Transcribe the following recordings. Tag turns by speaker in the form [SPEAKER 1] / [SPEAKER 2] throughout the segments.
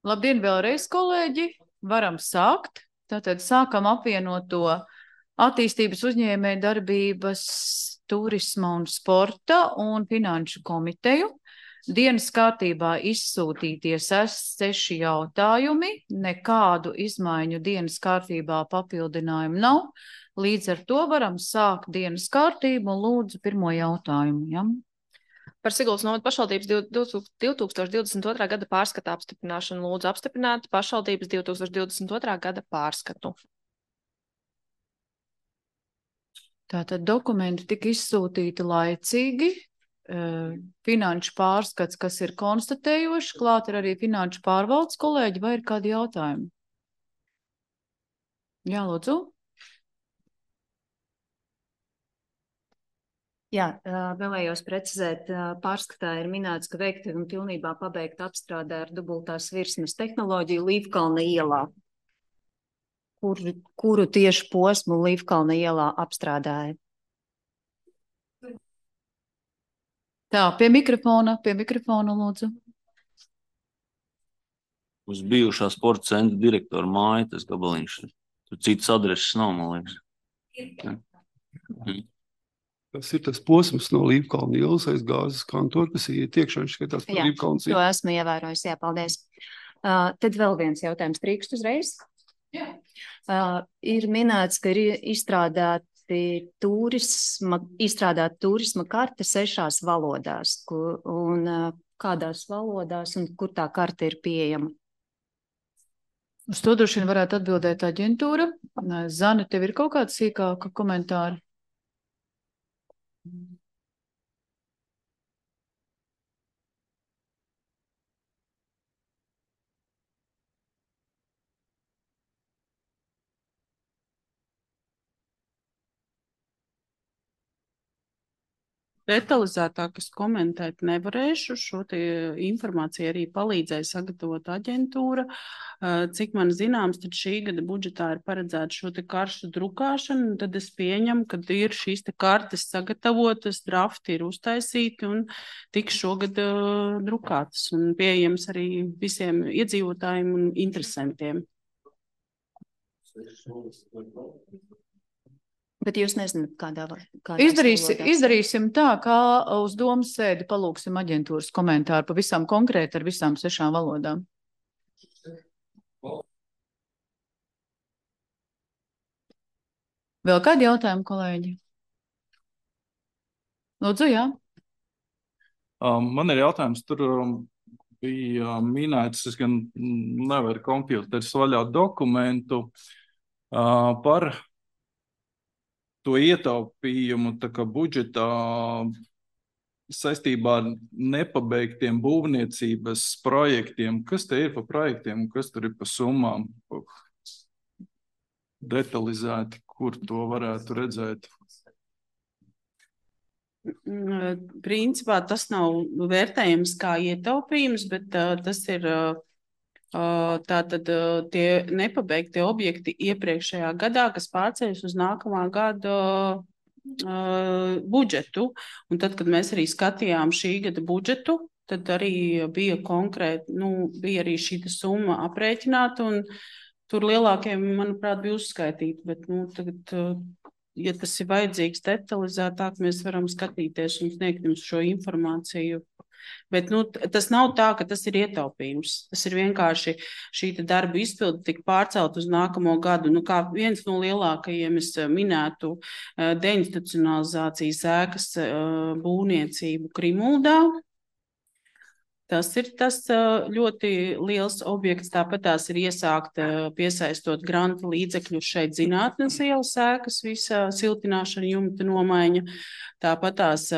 [SPEAKER 1] Labdien vēlreiz, kolēģi! Varam sākt. Tātad sākam apvienoto attīstības uzņēmēju darbības, turisma un sporta un finanšu komiteju. Dienas kārtībā izsūtītie 6 jautājumi, nekādu izmaiņu dienas kārtībā papildinājumu nav. Līdz ar to varam sākt dienas kārtību un lūdzu pirmo jautājumu. Ja?
[SPEAKER 2] Par Siguldas novada pašvaldības 2022. gada pārskata apstiprināšanu lūdzu apstiprināt pašvaldības 2022. gada pārskatu.
[SPEAKER 1] Tātad dokumenti tika izsūtīti laicīgi. Finanšu pārskats, kas ir konstatējoši, klāt ir arī finanšu pārvaldes kolēģi, vai ir kādi jautājumi? Jā, lūdzu.
[SPEAKER 3] Jā, vēlējos precizēt, pārskatā ir minēts, ka veikta un pilnībā pabeigta apstrādē ar dubultās virsmas tehnoloģiju Līvkalna ielā. Kuru tieši posmu Līvkalna ielā apstrādāja?
[SPEAKER 1] Tā, pie mikrofona lūdzu.
[SPEAKER 4] Uz bijušā sporta centra direktora māja, tas gabaliņš. Tur citas adreses nav, man liekas.
[SPEAKER 5] Tas ir tas posms no Līvkalna ielas aiz gāzes kantora, kas iet iekšā, viņš skatās par Līvkalnas
[SPEAKER 3] ielu. Jā, to esmu ievērojis, jā, paldies. Tad vēl viens jautājums, drīkst uzreiz?
[SPEAKER 1] Jā.
[SPEAKER 3] Ir minēts, ka ir izstrādāta turisma karte 6 valodās. Un kādās valodās un kur tā karte ir pieejama?
[SPEAKER 1] Uz to droši vien varētu atbildēt aģentūra. Zane, tev ir kaut kāda sīkāka komentāra?
[SPEAKER 6] Detalizētāk es komentēt nevarēšu. Šo informāciju arī palīdzēja sagatavot aģentūra. Cik man zināms, tad šī gada budžetā ir paredzēta šo karšu drukāšanu, tad es pieņemu, ka ir šīs kartes sagatavotas, drafti ir uztaisīti un tiks šogad drukātas un pieejams arī visiem iedzīvotājiem un interesantiem.
[SPEAKER 3] Bet jūs nezināt, kādā
[SPEAKER 1] Izdarīsim tā, kā uz domas sēdi palūksim aģentūras komentāru pavisam konkrēti ar visām 6 valodām. Vēl kādi jautājumi, kolēģi? Lūdzu, jā.
[SPEAKER 7] Man ir jautājums, tur bija minēts, es gan nevaru kompjūteris vaļā dokumentu par to ietaupījumu budžetā saistībā ar nepabeigtiem būvniecības projektiem. Kas te ir pa projektiem un kas tur ir pa summām? Detalizēti, kur to varētu redzēt?
[SPEAKER 6] Principā tas nav vērtējams kā ietaupījums, bet tas ir tātad tie nepabeigtie objekti iepriekšējā gadā, kas pārceļas uz nākamā gada budžetu. Un tad, kad mēs arī skatījām šī gada budžetu, tad arī bija konkrēti, bija arī šī summa aprēķināta, un tur lielākiem, manuprāt, bija uzskaitīti. Bet, tagad, ja tas ir vajadzīgs detalizētāk, mēs varam skatīties un sniegt jums šo informāciju. Bet tas nav tā, ka tas ir ietaupījums. Tas ir vienkārši šī darba izpilde tika pārcelt uz nākamo gadu. Kā viens no lielākajiem es minētu deinstitucionalizācijas ēkas būvniecību Krimuldā. Tas ir tas ļoti liels objekts. Tāpat tās ir iesākta piesaistot granta līdzekļus šeit Zinātnes ielas ēkas, visa siltināšana, jumta nomaiņa. Tāpat tās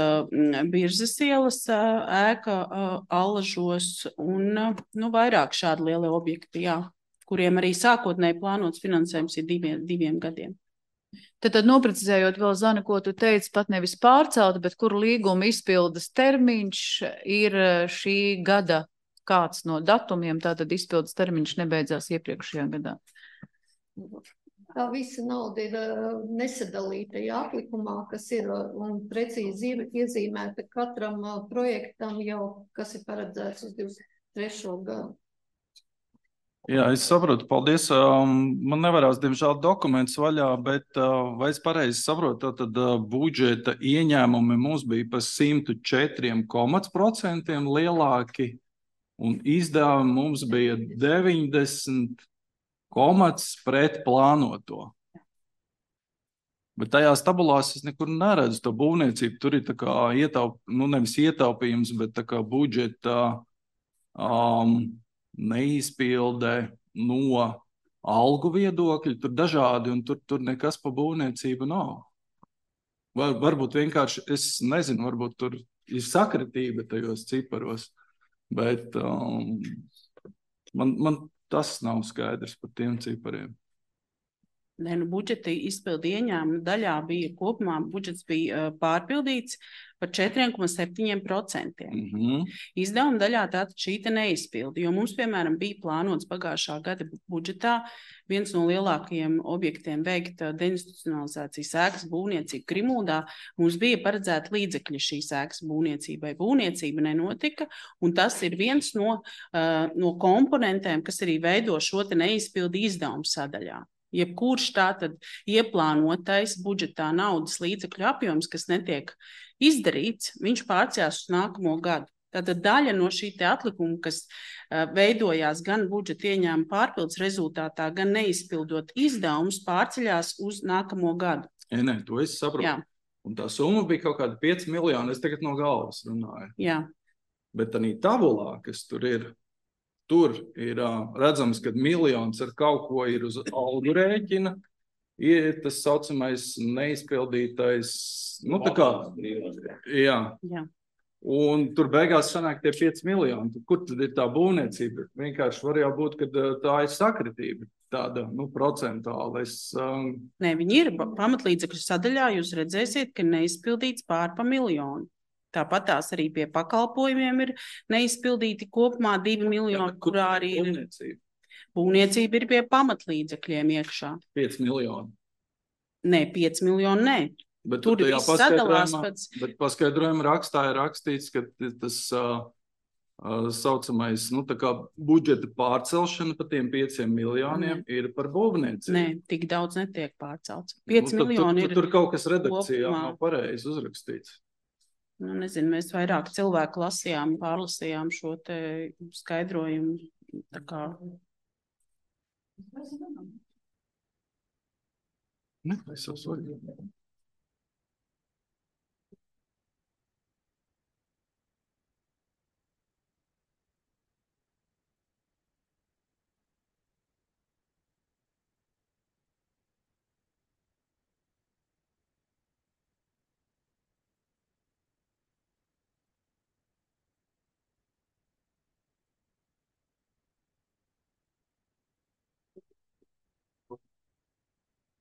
[SPEAKER 6] Birzes ielas ēka Allažos un vairāk šādi lieli objekti, jā, kuriem arī sākotnēji plānots finansējums ir diviem gadiem.
[SPEAKER 1] Tad noprecizējot vēl, Zana, ko tu teici, pat nevis pārcelta, bet kuru līguma izpildes termiņš ir šī gada kāds no datumiem, tātad izpildes termiņš nebeidzās iepriekšējā gadā.
[SPEAKER 8] Tā visa nauda ir nesadalīta atlikumā, kas ir un precīzi iezīmēta katram projektam jau, kas ir paredzēts uz 23. gadu.
[SPEAKER 7] Jā, es saprotu, paldies. Man nevarās, diemžēl, dokumentus vaļā, bet vai es pareizi saprotu, tad budžeta ieņēmumi mums bija par 104% lielāki, un izdevumi mums bija 90 pret plānoto. Bet tajās tabulās es nekur neredzu to būvniecību. Tur ir tā kā nevis ietaupījums, bet tā kā budžeta neizpilde no algu viedokļa. Tur dažādi, un tur nekas pa būvniecību nav. Varbūt vienkārši, es nezinu, varbūt tur ir sakritība tajos ciparos, bet man tas nav skaidrs par tiem cipariem.
[SPEAKER 6] Nē, budžeta izpildi ieņēmuma daļā bija kopumā, budžets bija pārpildīts par 4,7%. Izdevuma daļā tātad šī te neizpildi, jo mums, piemēram, bija plānots pagājušā gada budžetā viens no lielākajiem objektiem veikt deinstitucionalizācijas ēkas būvniecību Grimūdā. Mums bija paredzēta līdzekļi šīs ēkas būvniecībai. Būvniecība nenotika, un tas ir viens no komponentiem, kas arī veido šo te neizpildi izdevumu sadaļā. Jebkurš tātad ieplānotais budžetā naudas līdzekļu apjoms, kas netiek izdarīts, viņš pārcējās uz nākamo gadu. Tātad daļa no šī te atlikuma, kas veidojās gan budžeta ieņēmuma pārpildes rezultātā, gan neizpildot izdevumus, pārceļās uz nākamo gadu.
[SPEAKER 7] Nē, to es saprotu.
[SPEAKER 6] Jā.
[SPEAKER 7] Un tā summa bija kaut kāda 5 miljoni, es tagad no galvas runāju.
[SPEAKER 6] Jā.
[SPEAKER 7] Bet tā tabulā, kas tur ir redzams, ka miljons ar kaut ko ir uz algu rēķina, ir tas saucamais neizpildītais, tā kā, jā. Un tur beigās sanāk tie 5 miljoni. Kur tad ir tā būvniecība? Vienkārši var jau būt, ka tā ir sakritība tāda, procentāla.
[SPEAKER 6] Nē, viņi ir pamatlīdzekļu sadaļā, jūs redzēsiet, ka neizpildīts pār pa miljonu. Tāpat tās arī pie pakalpojumiem ir neizpildīti kopumā 2 miljoni, kurā arī ir būvniecība ir pie pamatlīdzekļiem iekšā.
[SPEAKER 7] 5 miljoni.
[SPEAKER 6] Nē, 5 miljoni, nē.
[SPEAKER 7] Bet
[SPEAKER 6] tur ir sadalās pēc.
[SPEAKER 7] Bet paskaidrojuma rakstā ir rakstīts, ka tas saucamais, tā kā budžeta pārcelšana pa tiem 5 miljoniem ir par būvniecību.
[SPEAKER 6] Nē, tik daudz netiek pārcelts. 5 miljoni ir.
[SPEAKER 7] Tur kaut kas redakcijā nav pareizi uzrakstīts.
[SPEAKER 6] Nezinu, mēs vairāk cilvēku pārlasījām šo te skaidrojumu. Tā kā.
[SPEAKER 7] Es jau soļu.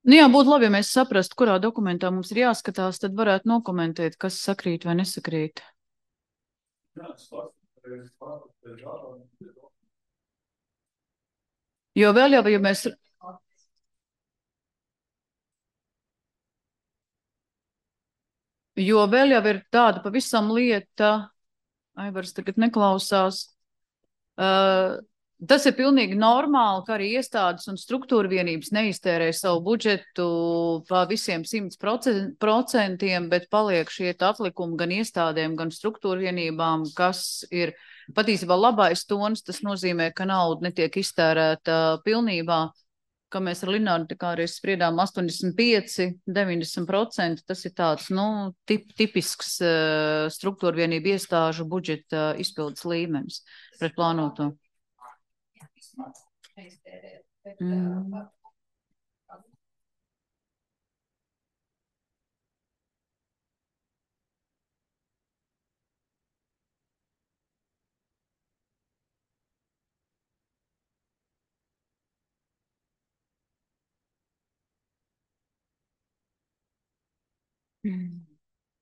[SPEAKER 1] Jā, būtu labi, ja mēs saprastu, kurā dokumentā mums ir jāskatās, tad varētu nokomentēt, kas sakrīt vai nesakrīt. Jo vēl jau, ja mēs... Jo vēl jau ir tāda pavisam lieta, Aivars tagad neklausās, tas ir pilnīgi normāli, ka arī iestādes un struktūra vienības neiztērē savu budžetu pa visiem 100%, bet paliek šie atlikumi gan iestādēm, gan struktūra vienībām, kas ir patiesībā labais tons. Tas nozīmē, ka nauda netiek iztērēta pilnībā, ka mēs ar Linārdu tā kā arī spriedām 85–90%. Tas ir tāds, tipisks struktūra vienību iestāžu budžeta izpildes līmenis pret plānoto.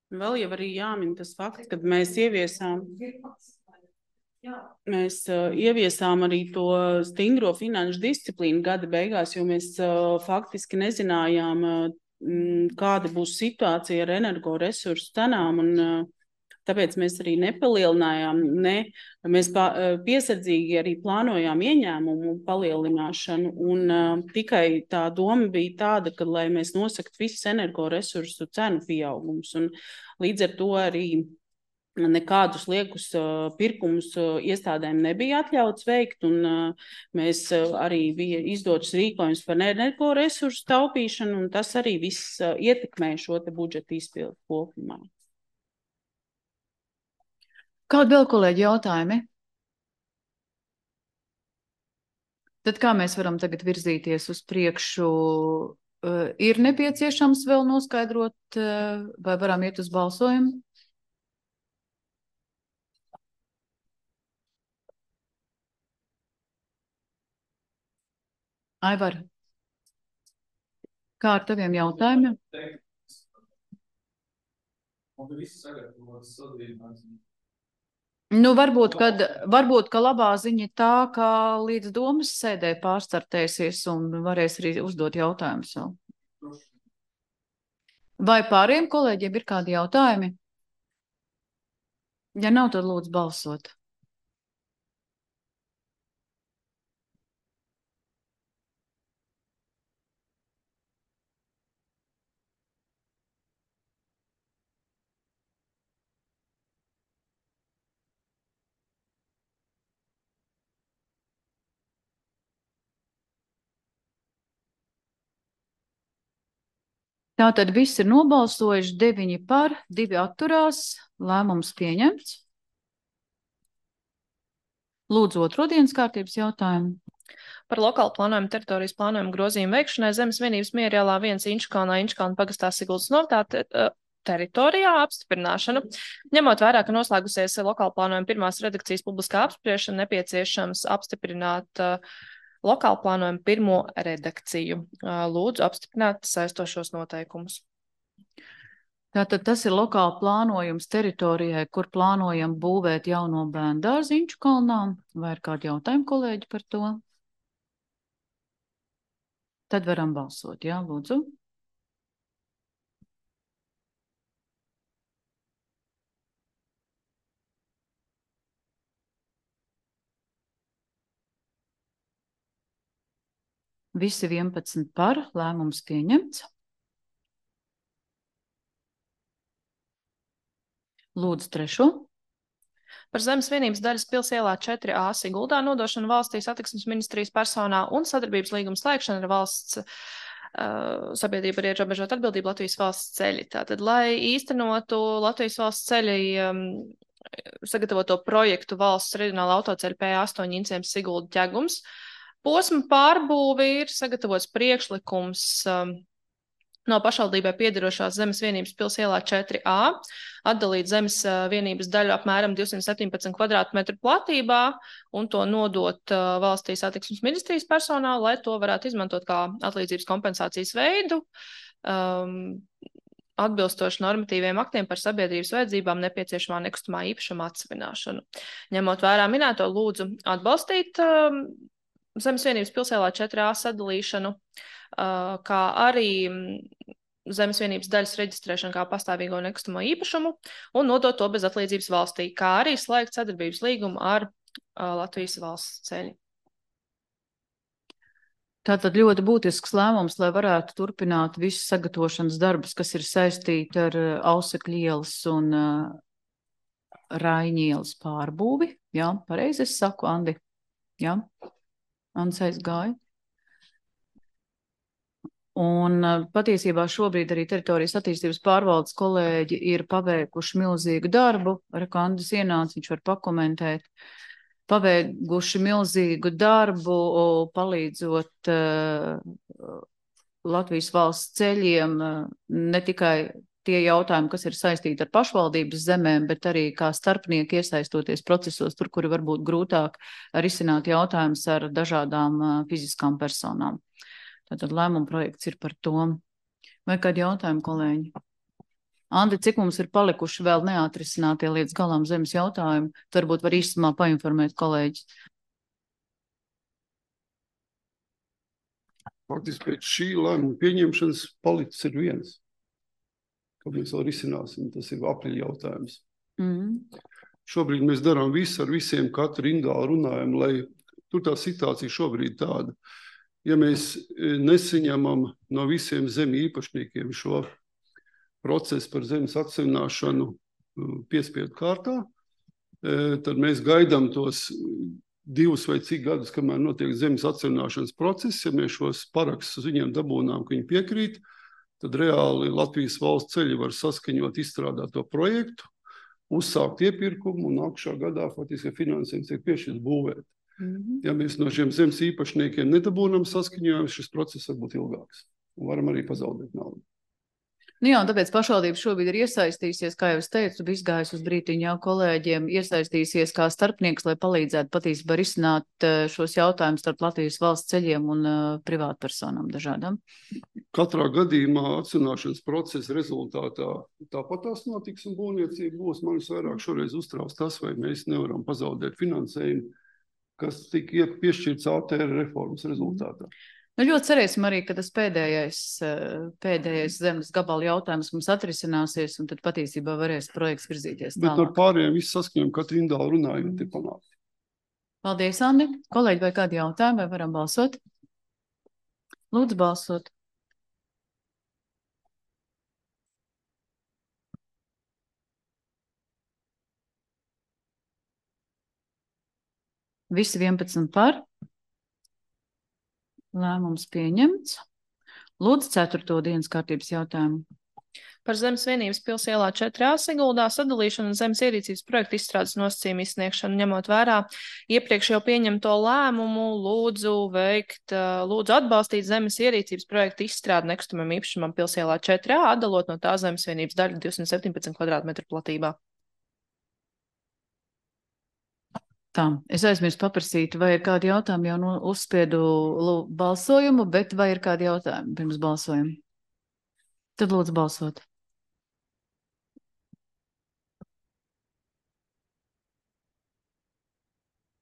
[SPEAKER 6] Vēl jau arī jāmin tas fakts, kad mēs ieviesām arī to stingro finanšu disciplīnu gada beigās, jo mēs faktiski nezinājām, kāda būs situācija ar energoresursu cenām, Tāpēc mēs arī nepalielinājām, mēs piesardzīgi arī plānojām ieņēmumu palielināšanu, un tikai tā doma bija tāda, ka, lai mēs nosakt visus energoresursu cenu pieaugums, un līdz ar to arī nekādus liekus pirkumus iestādēm nebija atļauts veikt, un mēs arī bija izdots rīkojums par energoresursu taupīšanu, un tas arī viss ietekmē šo te budžeta izpildu kopumā.
[SPEAKER 1] Kādi vēl, kolēģi, jautājumi? Tad kā mēs varam tagad virzīties uz priekšu? Ir nepieciešams vēl noskaidrot, vai varam iet uz balsojumu? Aivar, kā ar taviem jautājumiem? Nu, varbūt, ka labā ziņa tā, ka līdz domas sēdē pārstartēsies un varēs arī uzdot jautājumus vēl. Vai pārējiem kolēģiem ir kādi jautājumi? Ja nav, tad lūdzu balsot. Tātad viss ir nobalsojuši, 9 par, 2 atturās, lēmums pieņemts. Lūdzu, otro dienas kārtības jautājumu.
[SPEAKER 2] Par lokālu plānojumu teritorijas plānojumu grozījumu veikšanai Zemes vienības Mierjālā 1 Inčukalnā pagastā Siguldas novārtā teritorijā apstiprināšanu. Ņemot vērā, ka noslēgusies lokālu plānojumu pirmās redakcijas publiskā apspriešana, nepieciešams apstiprināt lokālu plānojumu pirmo redakciju. Lūdzu apstiprināt saistošos noteikumus.
[SPEAKER 1] Tātad tas ir lokāli plānojums teritorijai, kur plānojam būvēt jauno bērndārzu Inčukalnā. Vai ir kādi jautājumi, kolēģi, par to? Tad varam balsot, jā, lūdzu. Visi 11 par, lēmums pieņemts. Lūdzu trešo.
[SPEAKER 2] Par Zemes vienības daļas pils ielā 4A Siguldā nodošanu valstī satiksmes ministrijas personā un sadarbības līguma slēgšana ar valsts sabiedrība ar ierobežotu atbildību Latvijas valsts ceļi. Tātad, lai īstenotu Latvijas valsts ceļi sagatavoto projektu valsts reģionāla autoceļa P8 Incēms Sigulda ķegums, posma pārbūve ir sagatavots priekšlikums no pašvaldībai piederošās Zemes vienības pils ielā 4A, atdalīt Zemes vienības daļu apmēram 217 kvadrātmetru platībā un to nodot valstī satiksmes ministrijas personālu, lai to varētu izmantot kā atlīdzības kompensācijas veidu, atbilstoši normatīviem aktiem par sabiedrības vajadzībām nepieciešamā nekustamā īpašuma atsevināšanu. Ņemot vērā minēto, lūdzu atbalstīt Zemes vienības pilsēlā 4A sadalīšanu, kā arī Zemes vienības daļas reģistrēšanu kā pastāvīgo nekustamo īpašumu un nodot to bez atlīdzības valstī, kā arī slēgt sadarbības līgumu ar Latvijas valsts ceļi.
[SPEAKER 1] Tātad ļoti būtisks lēmums, lai varētu turpināt visu sagatavošanas darbus, kas ir saistīti ar Ausekļu ielas un Raiņu ielas pārbūvi. Jā, pareizi es saku, Andi. Jā. Ants aizgāja. Un patiesībā šobrīd arī teritorijas attīstības pārvaldes kolēģi ir paveikuši milzīgu darbu. Rekandas ienāca, viņš var pakomentēt. Paveikuši milzīgu darbu, palīdzot Latvijas valsts ceļiem, ne tikai tie jautājumi, kas ir saistīti ar pašvaldības zemēm, bet arī kā starpnieki iesaistoties procesos, tur, kuri varbūt grūtāk risināt jautājumus ar dažādām fiziskām personām. Tātad lēmuma projekts ir par to. Vai kādi jautājumi, kolēģi? Andi, cik mums ir palikuši vēl neatrisinātie līdz galam zemes jautājumi? Varbūt var īstumā painformēt kolēģis.
[SPEAKER 5] Faktiski pēc šī lēmuma pieņemšanas palicis ir viens, ko mēs vēl risināsim. Tas ir aprīļa jautājums. Šobrīd mēs darām visu ar visiem, katru indālu runājam, lai tur tā situācija šobrīd tāda. Ja mēs nesaņemam no visiem zemi īpašniekiem šo procesu par zemes atsevināšanu piespiedu kārtā, tad mēs gaidām tos 2 vai cik gadus, kamēr notiek zemes atsevināšanas process. Ja mēs šos parakstus uz viņiem dabūnām, ka viņi piekrīt, tad reāli Latvijas valsts ceļi var saskaņot izstrādāt to projektu, uzsākt iepirkumu un nākušā gadā faktiski finansējums tiek piešķirts būvēt. Ja mēs no šiem zemes īpašniekiem nedabūnam saskaņojumu, šis process var būt ilgāks un varam arī pazaudēt naudu.
[SPEAKER 1] Nu jā, un tāpēc pašvaldība šobrīd ir iesaistījusies, kā jau es teicu, bija izgājis uz brītiņu jau kolēģiem, iesaistījusies kā starpnieks, lai palīdzētu patiesībā risināt šos jautājumus starp Latvijas valsts ceļiem un privātpersonām dažādām.
[SPEAKER 5] Katrā gadījumā atsevināšanas procesa rezultātā tāpat tās notiks un būvniecība būs. Man vairāk šoreiz uztrauc tas, vai mēs nevaram pazaudēt finansējumu, kas tika piešķirts ATR reformas rezultātā.
[SPEAKER 1] Nu, ļoti cerēsim arī, ka tas pēdējais zemes gabala jautājums mums atrisināsies, un tad patiesībā varēs projekts virzīties tālāk.
[SPEAKER 5] Bet ar pārējiem visu saskaņojumu katru indālu runājot ir panākt.
[SPEAKER 1] Paldies, Andi. Kolēģi, vai kādi jautājumi, vai varam balsot? Lūdzu, balsot. Visi 11 par. Lēmums pieņemts. Lūdzu, 4. dienas kārtības jautājumu.
[SPEAKER 2] Par Zemes vienības pils ielā 4A Siguldā sadalīšanu un zemes ierīcības projektu izstrādes nosacījumu izsniegšanu ņemot vērā iepriekš jau pieņemto lēmumu, lūdzu atbalstīt zemes ierīcības projektu izstrādi nekustamam īpašumam pils ielā 4A, atdalot no tā zemes vienības daļu 217 kvadrātmetru platībā.
[SPEAKER 1] Tā, es aizmirstu paprasīt, vai ir kādi jautājumi, jau uzspiedu balsojumu, bet vai ir kādi jautājumi pirms balsojumu? Tad lūdzu balsot.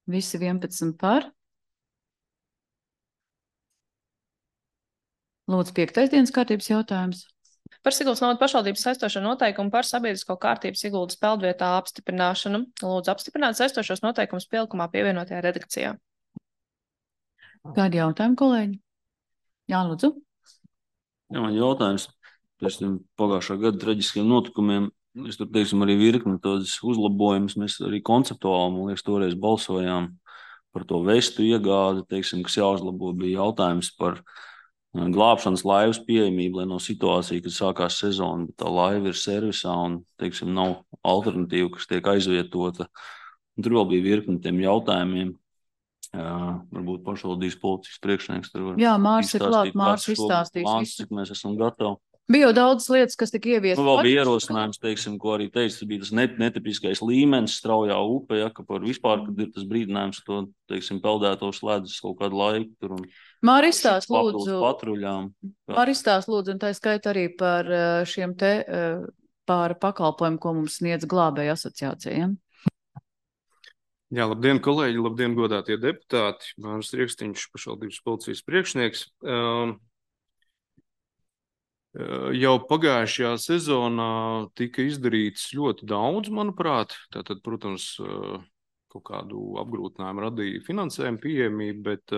[SPEAKER 1] Visi 11 par. Lūdzu, 5. dienas kārtības jautājums.
[SPEAKER 2] Par Siguldas novada pašvaldības saistošo noteikumu par sabiedrisko kārtību Siguldas peldvietā apstiprināšanu. Lūdzu apstiprināt saistošos noteikumus pielikumā pievienotajā redakcijā.
[SPEAKER 1] Kādi jautājumi, kolēģi? Jā, lūdzu.
[SPEAKER 4] Jā, man jautājums pēc tiem pagājušā gada traģiskiem notikumiem. Es tur, teiksim, arī virkni tādas uzlabojumus. Mēs arī konceptuāli, man liekas, toreiz balsojām par to vestu iegādi, teiksim, kas jāuzlabo, bija jautājums par glābšanas laivas pieejamību, lai no situācija, kad sākās sezona, bet tā laiva ir servisā un, teiksim, nav alternatīva, kas tiek aizvietota. Un tur vēl bija virkni tiem jautājumiem. Varbūt pašvaldības policijas priekšnieks tur var
[SPEAKER 1] Jā, Mārs ir klāt, Mārs izstāstīs
[SPEAKER 4] visu. Cik mēs esam gatavi.
[SPEAKER 1] Bija jau daudz lietas, kas tika ieviestas.
[SPEAKER 4] Nu, vēl bija ierosinājums, teiksim, ko arī teica, tas bija tas netipiskais līmenis straujā upē, ja, ka par vispār, kad ir tas brīdinājums to, teiksim, peldētos ledus kaut kādu laiku tur un
[SPEAKER 1] Māristāst lūdzu,
[SPEAKER 4] patruļām.
[SPEAKER 1] Māristāst lūdzu, un tā skaita arī par šiem te par pakalpojumu, ko mums sniedz glābēja asociācijām.
[SPEAKER 9] Jā, labdien, kolēģi, labdien, godātie deputāti. Māris Riekstiņš, pašvaldības policijas priekšnieks. Jau pagājušajā sezonā tika izdarīts ļoti daudz, manuprāt. Tātad, protams, kaut kādu apgrūtinājumu radīja finansējuma pieejamība, bet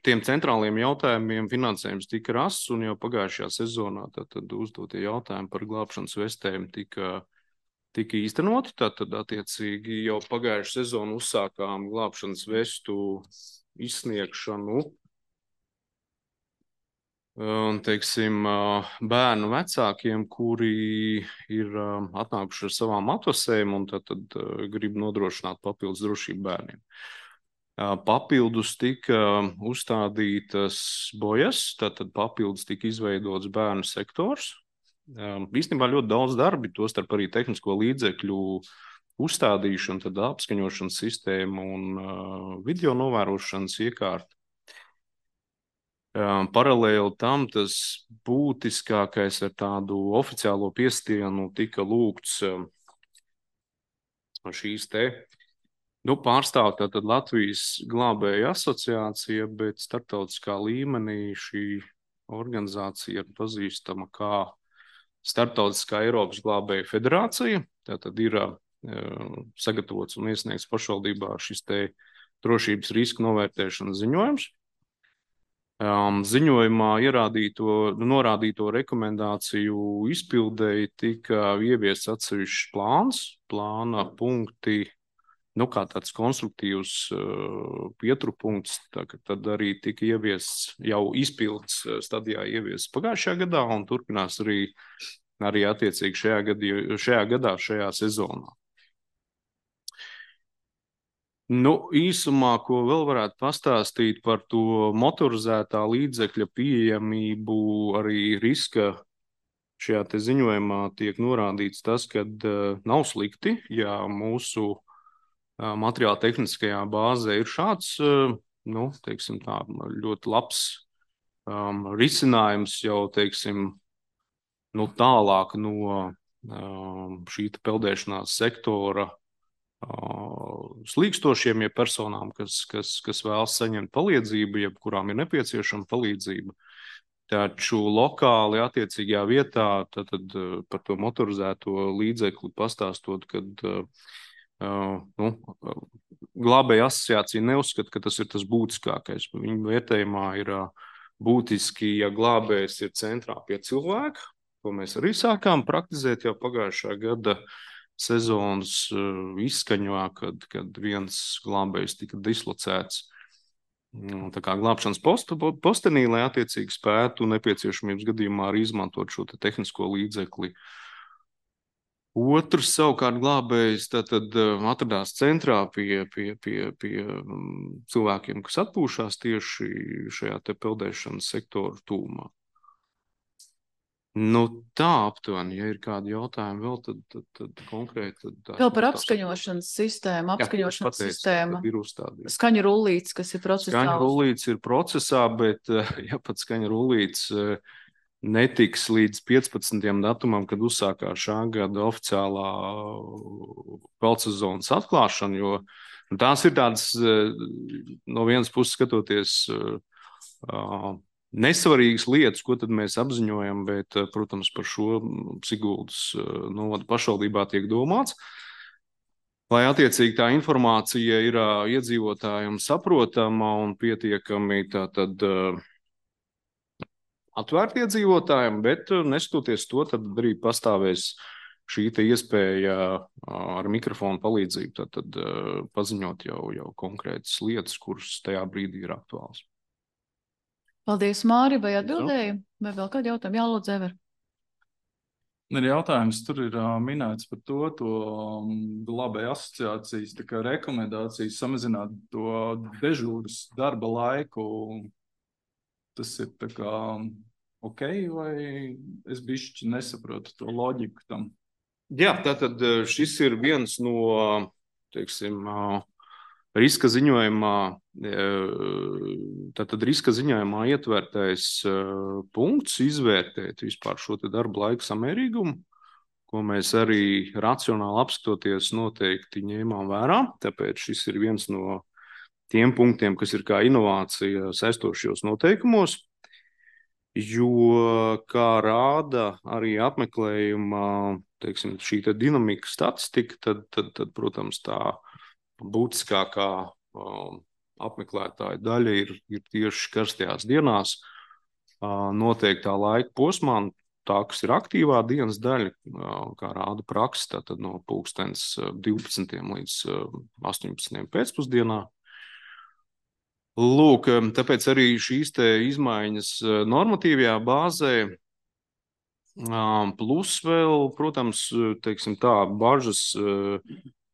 [SPEAKER 9] tiem centrāliem jautājumiem finansējums tika rasts, un jau pagājušajā sezonā tātad uzdotie jautājumi par glābšanas vestēm tika īstenoti. Tātad, attiecīgi, jau pagājušajā sezonu uzsākām glābšanas vestu izsniegšanu. Un, teiksim, bērnu vecākiem, kuri ir atnākuši ar savām atvasēm un tad grib nodrošināt papildus drošību bērniem. Papildus tika uzstādītas bojas, tātad papildus tika izveidots bērnu sektors. Īstenībā ļoti daudz darbi, tostarp arī tehnisko līdzekļu uzstādīšana, tad apskaņošanas sistēma un video novērošanas iekārta. Paralēli tam tas būtiskākais ar tādu oficiālo piestienu tika lūgts šīs te pārstāv tātad Latvijas glābēja asociācija, bet starptautiskā līmenī šī organizācija ir pazīstama kā Starptautiskā Eiropas glābēja federācija. tātad ir sagatavots un iesniegts pašvaldībā šis te drošības riska novērtēšanas ziņojums. Ziņojumā norādīto rekomendāciju izpildēji tika ieviests atsevišķs plāna punkti, kā tāds konstruktīvs pieturpunkts, tad arī tika ieviests jau izpildes stadijā ieviests pagājušajā gadā un turpinās arī attiecīgi šajā gadā, šajā sezonā. Īsumā, ko vēl varētu pastāstīt par to motorizētā līdzekļa pieejamību, arī riska šajā te ziņojumā tiek norādīts tas, ka nav slikti, ja mūsu materiāla tehniskajā bāzē ir šāds, teiksim tā, ļoti labs risinājums jau, teiksim, tālāk no šī peldēšanās sektora slīkstošiem, ja personām, kas vēlas saņemt palīdzību, jeb kurām ir nepieciešama palīdzība. Taču lokāli attiecīgajā vietā tad par to motorizēto līdzekli pastāstot, kad glābēja asociācija neuzskata, ka tas ir tas būtiskākais. Viņu vērtējumā ir būtiski, ja glābējs ir centrā pie cilvēka, ko mēs arī sākām praktizēt jau pagājušā gada sezonas izskaņā, kad viens glābējs tika dislocēts tā kā glābšanas postenī, lai attiecīgi spētu nepieciešamības gadījumā arī izmantot šo tehnisko līdzekli. Otrs savukārt glābējs tad atradās centrā pie cilvēkiem, kas atpūšās tieši šajā te peldēšanas sektoru tūmā. Tā aptuveni, ja ir kādi jautājumi vēl, tad konkrēti.
[SPEAKER 1] Vēl par apskaņošanas sistēmu. Skaņu rullītes, kas ir procesā.
[SPEAKER 9] Skaņu rullītes ir procesā, bet ja pat skaņu rullītes netiks līdz 15. datumam, kad uzsākās šā gada oficiālā peldsezonas atklāšana, jo tās ir tādas, no vienas puses skatoties, nesvarīgas lietas, ko tad mēs apziņojam, bet, protams, par šo Siguldas novada pašvaldībā tiek domāts, lai attiecīgi tā informācija ir iedzīvotājiem saprotama un pietiekami tātad atvērti iedzīvotājiem, bet neskatoties to, tad arī pastāvēs šī te iespēja ar mikrofonu palīdzību tad paziņot jau konkrētas lietas, kuras tajā brīdī ir aktuāls.
[SPEAKER 1] Paldies, Māri, vai atbildēju? Vai vēl kādu jautājumu? Jā, lūdzu, Ever.
[SPEAKER 7] Ir jautājums, tur ir minēts par to glābēju asociācijas rekomendācijas samazināt to dežūras darba laiku. Tas ir tā kā ok, vai es bišķi nesaprotu to loģiku tam?
[SPEAKER 9] Jā, tātad šis ir viens no, teiksim, riska ziņojumā, tātad riska ziņojumā ietvērtais punkts izvērtēt vispār šo te darba laika samērīgumu, ko mēs arī racionāli apskatoties noteikti ņēmām vērā. Tāpēc šis ir viens no tiem punktiem, kas ir kā inovācija saistošajos noteikumos, jo, kā rāda arī apmeklējuma, teiksim, šī te dinamika statistika, tad, protams, tā būtiskākā apmeklētāja daļa ir tieši karstajās dienās noteiktā laika posmā, tā, kas ir aktīvā dienas daļa, kā rāda praksa, tātad no 12. līdz 18. pēcpusdienā. Lūk, tāpēc arī šīs te izmaiņas normatīvajā bāzē, plus vēl, protams, teiksim tā, bažas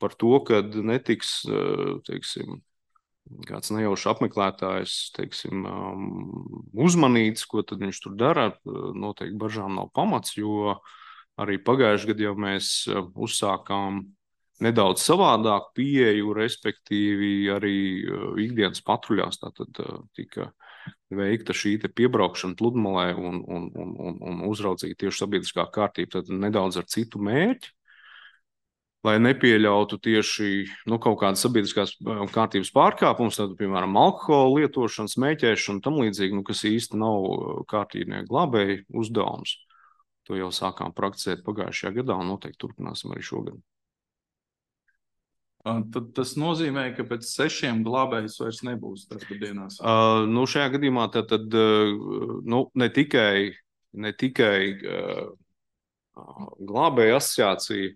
[SPEAKER 9] par to, kad netiks, teiksim, kāds nejaušs apmeklētājs, teiksim, uzmanīts, ko tad viņš tur dara, noteikti bažām nav pamats, jo arī pagājušajā gadā jau mēs uzsākām nedaudz savādāk pieeju, respektīvi arī ikdienas patruļās, tātad tika veikta šī te piebraukšana pludmalē un uzraudzīta tieši sabiedriskā kārtība, tad nedaudz ar citu mērķi, lai nepieļautu tieši kaut kādas sabiedriskās kārtības pārkāpumus, tad, piemēram, alkohola lietošana, smēķēšana, tam līdzīgi, kas īsti nav kārtībnieku glābēju uzdevums. To jau sākām prakticēt pagājušajā gadā un noteikti turpināsim arī šogad.
[SPEAKER 7] Tad tas nozīmē, ka pēc 6 glābējus vairs nebūs dienās.
[SPEAKER 9] Šajā gadījumā tad ne tikai glābēju asociācija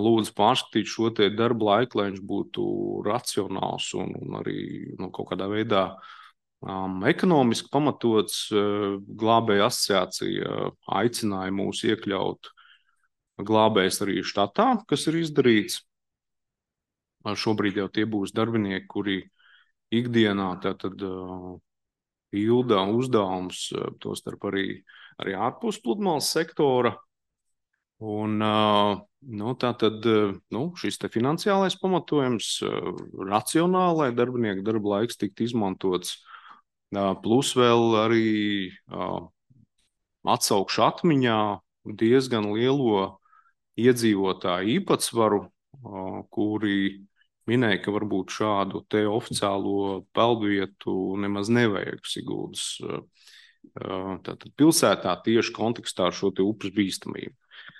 [SPEAKER 9] lūdzu pārskatīt šo te darba laiku, lai viņš būtu racionāls un arī kaut kādā veidā ekonomiski pamatots. Glābēju asociācija aicināja mūs iekļaut glābējus arī štatā, kas ir izdarīts. Šobrīd jau tie būs darbinieki, kuri ikdienā tātad pilda uzdevums, tostarp arī ārpus pludmales sektora. Un šis te finansiālais pamatojums racionālai darbinieku darba laiks tikt izmantots, plus vēl arī atsaukšu atmiņā diezgan lielo iedzīvotāju īpatsvaru, kuri minēja, ka varbūt šādu te oficiālo peldvietu nemaz nevajag Siguldas pilsētā tieši kontekstā ar šo te upes bīstamību.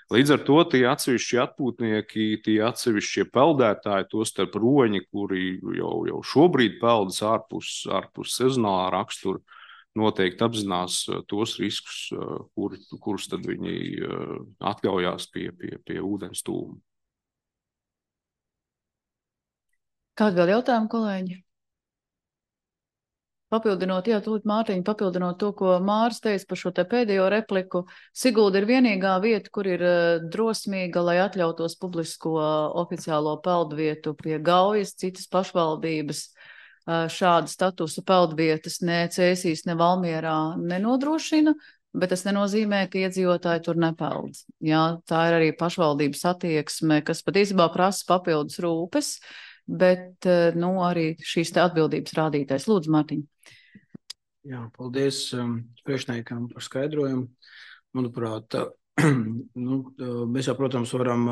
[SPEAKER 9] Līdz ar to tie atsevišķi atpūtnieki, tie atsevišķie peldētāji, tostarp roņi, kuri jau šobrīd peldas ārpus sezonālā rakstura, noteikti apzinās tos riskus, kurus tad viņi atļaujās pie ūdens tūma.
[SPEAKER 1] Kādi vēl jautājumi, kolēģi? Papildinot, tūlīt Mārtiņa, papildinot to, ko Māris teica par šo te pēdējo repliku, Sigulda ir vienīgā vieta, kur ir drosmīga, lai atļautos publisko oficiālo peldvietu pie Gaujas, citas pašvaldības šādu statusu peldvietas ne Cēsīs, ne Valmierā nenodrošina, bet tas nenozīmē, ka iedzīvotāji tur nepeld. Jā, tā ir arī pašvaldības attieksme, kas patiesībā prasa papildus rūpes, bet arī šīs te atbildības rādītājs. Lūdzu, Mārtiņ.
[SPEAKER 10] Jā, paldies priekšniekam par skaidrojumu. Manuprāt, mēs jau, protams, varam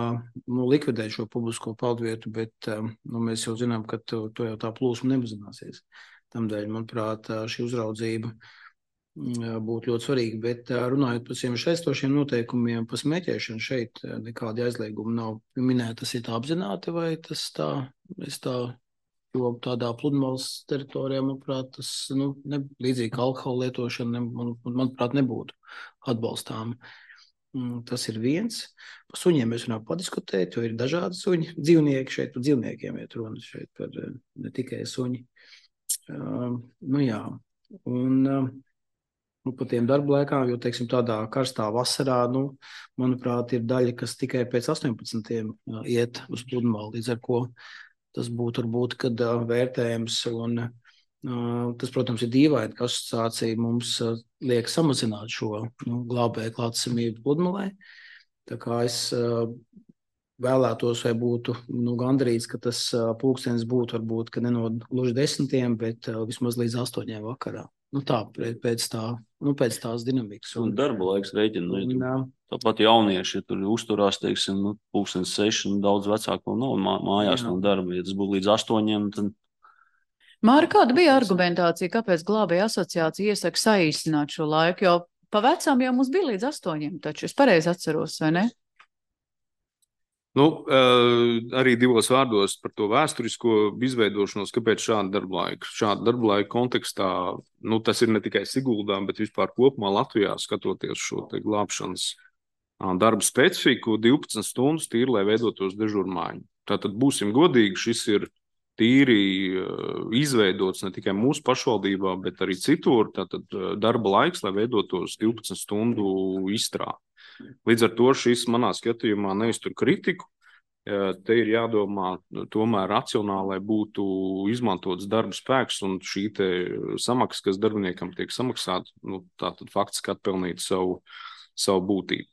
[SPEAKER 10] likvidēt šo publisko peldvietu, bet mēs jau zinām, ka to jau tā plūsma nemazināsies. Tamdēļ, manuprāt, šī uzraudzība būtu ļoti svarīga, bet runājot par šiem saistošiem noteikumiem par smēķēšanu, šeit nekādi aizliegumi nav minēti. Tas ir tā apzināti vai tas tā, jo tādā pludmales teritorijā, manuprāt, tas līdzīgi kā alkohola lietošana, manuprāt, nebūtu atbalstām. Tas ir viens. Par suņiem mēs varam padiskutēt, jo ir dažādi suņi, dzīvnieki šeit, par dzīvniekiem iet runa šeit, par ne tikai suņi. Jā, un par tiem darba laikām, jo, teiksim, tādā karstā vasarā, manuprāt, ir daļa, kas tikai pēc 18 iet uz pludmali, līdz ar ko tas būtu varbūt, kad vērtējums, un tas, protams, ir dīvaini, ka asociācija mums liek samazināt šo glābēju klātesamību pludmalē. Tā kā es vēlētos, vai būtu gandrīz, ka tas pulkstenis būtu varbūt, ka ne no gluži 10, bet vismaz līdz 8 vakarā. Tā, pēc tās dinamikas.
[SPEAKER 4] Un darba laiks rēķina. Tāpat jaunieši, ja tur uzturās, teiksim, 6, daudz vecāku nav mājās no darba. Ja tas būtu līdz 8, tad...
[SPEAKER 1] Māri, kāda bija argumentācija, kāpēc glābēja asociācija iesaka saīsināt šo laiku? Jo pa vecām jau mums bija līdz 8, taču es pareizi atceros, vai ne?
[SPEAKER 9] Arī divos vārdos par to vēsturisko izveidošanos, kāpēc šāda darba laika. Šāda darba laika kontekstā, tas ir ne tikai Siguldā, bet vispār kopumā Latvijā, skatoties šo te glābšanas darbu specifiku, 12 stundas tīri, lai veidotos dežurmaiņu. Tātad būsim godīgi, šis ir tīri izveidots ne tikai mūsu pašvaldībā, bet arī citur. Tātad darba laiks, lai veidotos 12 stundu izstrāde. Līdz ar to šis manā skatījumā neiztur kritiku. Te ir jādomā tomēr racionāli, lai būtu izmantots darba spēks un šī te samaksa, kas darbiniekam tiek samaksāta, tātad faktiski atpelnīt savu būtību.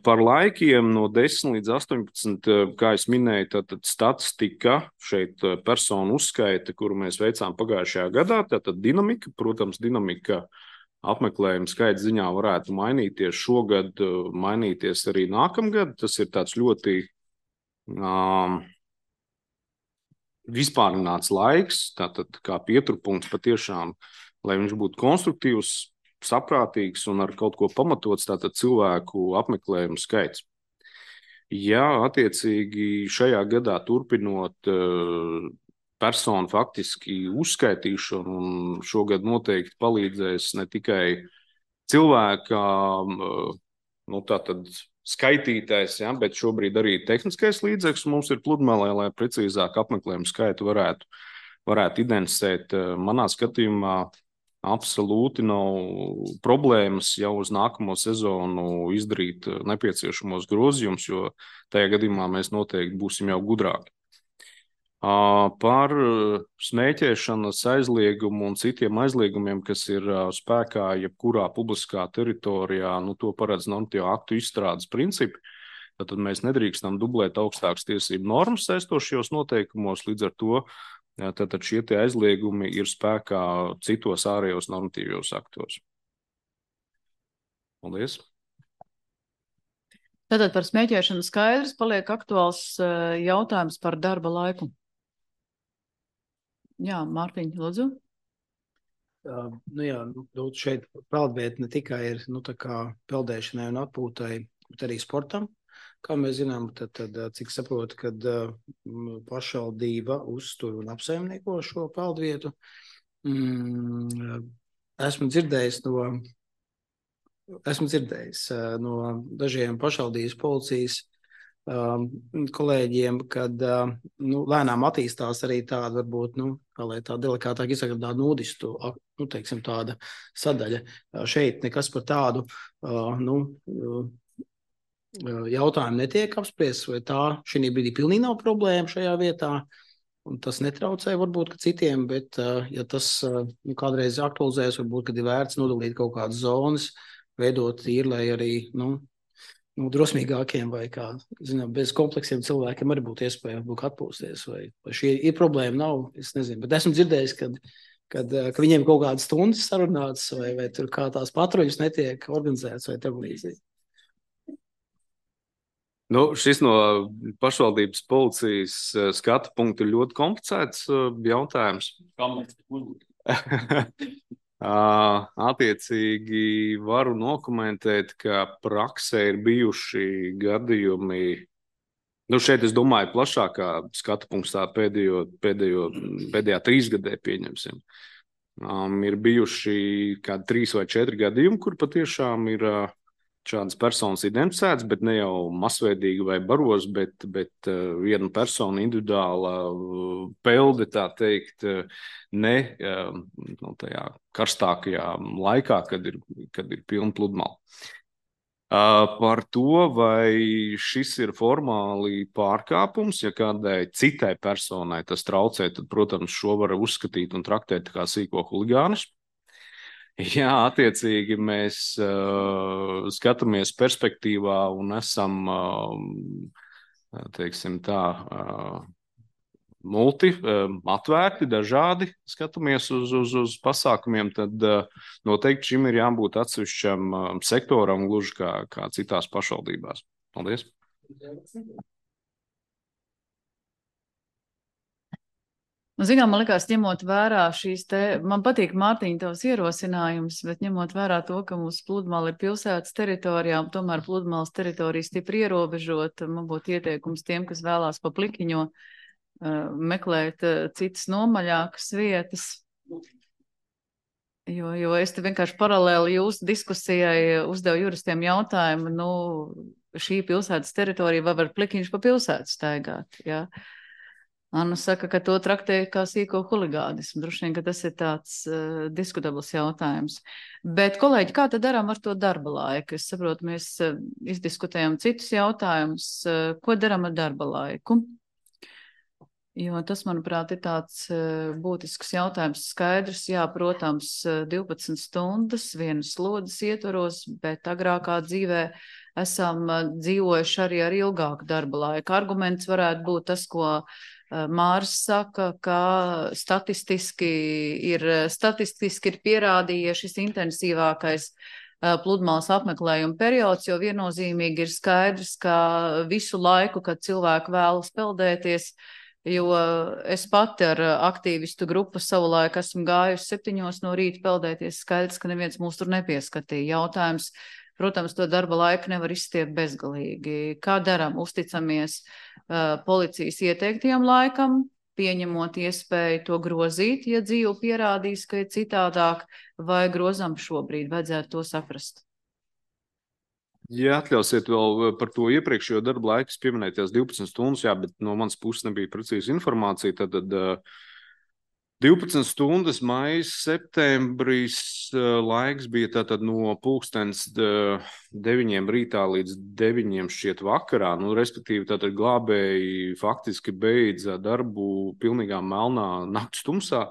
[SPEAKER 9] Par laikiem no 10 līdz 18, kā es minēju, tātad statistika, šeit personu uzskaita, kuru mēs veicām pagājušajā gadā, tātad dinamika, protams, apmeklējuma skaita ziņā varētu mainīties šogad, mainīties arī nākamgad. Tas ir tāds ļoti vispārināts laiks, tātad kā pieturpunkts patiešām, lai viņš būtu konstruktīvs, saprātīgs un ar kaut ko pamatots, tātad cilvēku apmeklējumu skaits. Ja attiecīgi šajā gadā turpinot personu faktiski uzskaitīšanu, un šogad noteikti palīdzēs ne tikai cilvēkām, tātad skaitītais, ja, bet šobrīd arī tehniskais līdzeklis mums ir pludmalē, lai precīzāk apmeklējumu skaitu varētu identificēt. Manā skatījumā absolūti nav problēmas jau uz nākamo sezonu izdarīt nepieciešamos grozījumus, jo tajā gadījumā mēs noteikti būsim jau gudrāki. Par smēķēšanas aizliegumu un citiem aizliegumiem, kas ir spēkā jebkurā publiskā teritorijā, to paredz normatīvo aktu izstrādes principi. Tad mēs nedrīkstam dublēt augstākas tiesību normas saistošajos noteikumos, līdz ar to tātad šie tie aizliegumi ir spēkā citos ārējos normatīvos aktos. Paldies!
[SPEAKER 1] Tātad par smēķēšanu skaidrs paliek aktuāls jautājums par darba laiku. Jā, Mārtiņ, lūdzu.
[SPEAKER 10] Šeit peldvieta ne tikai ir tā kā peldēšanai un atpūtai, bet arī sportam. Kā mēs zinām, tad cik saprotu, kad pašvaldība uztur un apsaimnieko šo peldvietu. Esmu dzirdējis no dažiem pašvaldības policijas kolēģiem, kad lēnām attīstās arī tāda, varbūt, kā lai tā delikātāk izsaka, tāda nudistu, teiksim, tāda sadaļa. Šeit nekas par tādu, jautājumu netiek apspriests, vai tā šī brīdī pilnīgi nav problēma šajā vietā, un tas netraucē varbūt citiem, bet ja tas kādreiz aktualizēs, varbūt, kad ir vērts nodalīt kaut kādas zonas, veidot tīri, lai arī, drosmīgākiem vai bez kompleksiem cilvēkiem arī būtu iespēja atpūsties, vai šī ir problēma, nav, es nezinu, bet esmu dzirdējis, kad viņiem kaut kādas stundas sarunātas, vai tur kā tās patruļas netiek organizētas, vai tam līdzīgi.
[SPEAKER 9] Šis no pašvaldības policijas skatu punktu ir ļoti komplicēts jautājums. Attiecīgi varu nokomentēt, ka praksē ir bijuši gadījumi, šeit es domāju plašākā skatu punkts tā pēdējā 3 gadē pieņemsim. Ir bijuši kādi 3 vai 4 gadījumi, kur patiešām ir šādas personas identificētas, bet ne jau masveidīgi vai baros, bet viena persona individuāla pelde, tā teikt, ne tajā karstākajā laikā, kad ir pilna pludmale. Par to, vai šis ir formāli pārkāpums, ja kādai citai personai tas traucē, tad, protams, šo var uzskatīt un traktēt kā sīko huligānismu. Jā, attiecīgi mēs skatāmies perspektīvā un esam, teiksim tā, atvērti, dažādi, skatāmies uz pasākumiem, tad noteikti šim ir jābūt atsevišķam sektoram, gluži kā citās pašvaldībās. Paldies!
[SPEAKER 1] Zinām, man likās, ņemot vērā man patīk, Mārtiņa, tavs ierosinājums, bet ņemot vērā to, ka mūsu pludmale ir pilsētas teritorijā, un tomēr pludmales teritorija stipri ierobežot, man būtu ieteikums tiem, kas vēlās pa plikiņo meklēt citas nomaļākas vietas. Jo es te vienkārši paralēli jūsu diskusijai uzdevu juristiem jautājumu, šī pilsētas teritorija vai var plikiņš pa pilsētu staigāt, jā. Anna saka, ka to traktē kā sīko huligānismu. Droši vien, ka tas ir tāds diskutabls jautājums. Bet, kolēģi, kā tad darām ar to darba laiku? Es saprotu, mēs izdiskutējam citus jautājumus. Ko darām ar darba laiku? Jo tas, manuprāt, ir tāds būtisks jautājums. Skaidrs, jā, protams, 12 stundas vienas slodzes ietvaros, bet agrākā dzīvē esam dzīvojuši arī ar ilgāku darba laiku. Arguments varētu būt tas, ko Māris saka, ka statistiski ir pierādījies šis intensīvākais pludmales apmeklējuma periods, jo viennozīmīgi ir skaidrs, ka visu laiku, kad cilvēki vēlas peldēties, Jo es pati ar aktīvistu grupu savulaik esmu gājusi 7 no rīta peldēties, skaidrs, ka neviens mūs tur nepieskatīja. Jautājums, protams, to darba laiku nevar izstiept bezgalīgi. Kā daram? Uzticamies policijas ieteiktajam laikam, pieņemot iespēju to grozīt, ja dzīve pierādīs, ka ir citādāk, vai grozam šobrīd, vajadzētu to saprast.
[SPEAKER 9] Ja atļausiet vēl par to iepriekšējo darba laiku, pieminēt tās 12 stundas, jā, bet no manas puses nebija precīza informācija, tad 12 stundas maijs, septembris laiks bija tātad no 9 rītā līdz 9 šķiet vakarā, nu, respektīvi tātad glābēji faktiski beidza darbu pilnīgā melnā nakts tumsā,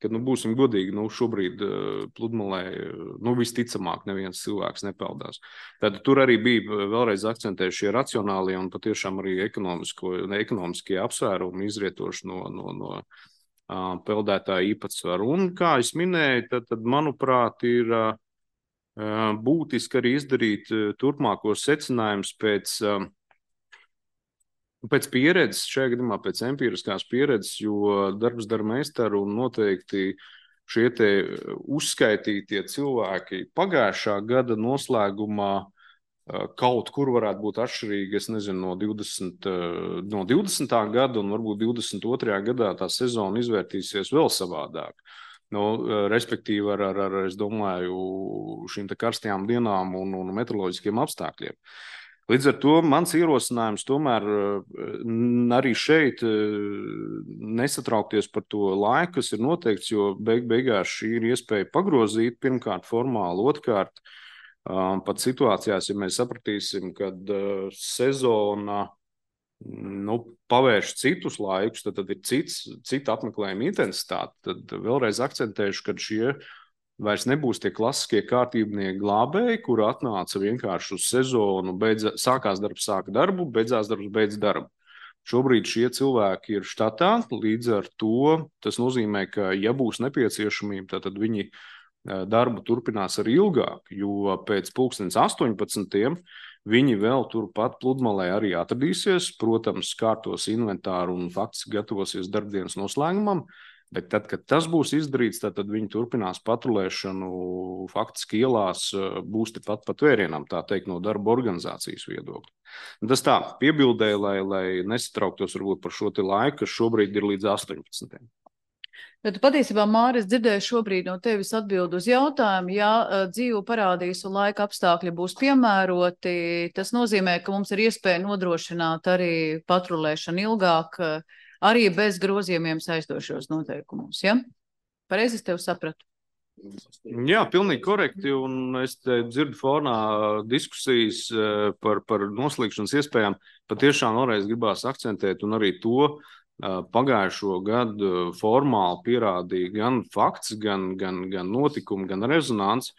[SPEAKER 9] kad, nu, būsim godīgi, nu, šobrīd pludmalē, nu, visticamāk neviens cilvēks nepeldās. Tad tur arī bija vēlreiz akcentējuši šie racionālie un patiešām arī ekonomiskie apsvērumi izrietoši no peldētāja īpatsvaru. Un, kā es minēju, tad manuprāt, ir būtiski arī izdarīt turpmākos secinājumus pēc pieredzes, šajā gadījumā pēc empiriskās pieredzes, jo darbs dara meistaru un noteikti šie te uzskaitītie cilvēki pagājušā gada noslēgumā kaut kur varētu būt atšķirīgi, es nezinu, no 20. gada un varbūt 22. gadā tā sezona izvērtīsies vēl savādāk. Nu, respektīvi ar, es domāju, šīm te karstajām dienām un meteoroloģiskiem apstākļiem. Līdz ar to mans ierosinājums tomēr arī šeit nesatraukties par to laiku, kas ir noteikts, jo beigās šī ir iespēja pagrozīt pirmkārt formāli, otrkārt pat situācijās, ja mēs sapratīsim, kad sezona pavērš citus laikus, tad ir cita apmeklējuma intensitāte, tad vēlreiz akcentēšu, ka šie vairs nebūs tie klasiskie kārtībnieki glābēji, kur atnāca vienkārši uz sezonu, sākās darbs, sāka darbu, beidzās darbs, beidz darbu. Šobrīd šie cilvēki ir štatā, līdz ar to tas nozīmē, ka ja būs nepieciešamība, tad viņi darbu turpinās arī ilgāk, jo pēc 18. Viņi vēl turpat pludmalē arī atradīsies, protams, kārtos inventāru un faktiski gatavosies darbdienas noslēgumam. Bet tad, kad tas būs izdarīts, tad viņi turpinās patrulēšanu faktiski ielās, būs tepat pat vērienam, tā teikt, no darba organizācijas viedokļa. Tas tā, piebildēja, lai nesatrauktos varbūt par šo te laiku, kas šobrīd ir līdz 18.
[SPEAKER 1] Bet patiesībā, Māris, dzirdēju šobrīd no tevis atbildu uz jautājumu, ja dzīve parādīs un laika apstākļi būs piemēroti, tas nozīmē, ka mums ir iespēja nodrošināt arī patrulēšanu ilgāk, arī bez grozījumiem saistošos noteikumus, ja? Pareizi es tev sapratu?
[SPEAKER 9] Jā, pilnīgi korekti, un es te dzirdu fonā diskusijas par noslīgšanas iespējām. Patiešām vēlreiz gribās akcentēt, un arī to pagājušo gadu formāli pierādīja gan fakts, gan notikumi, gan rezonants,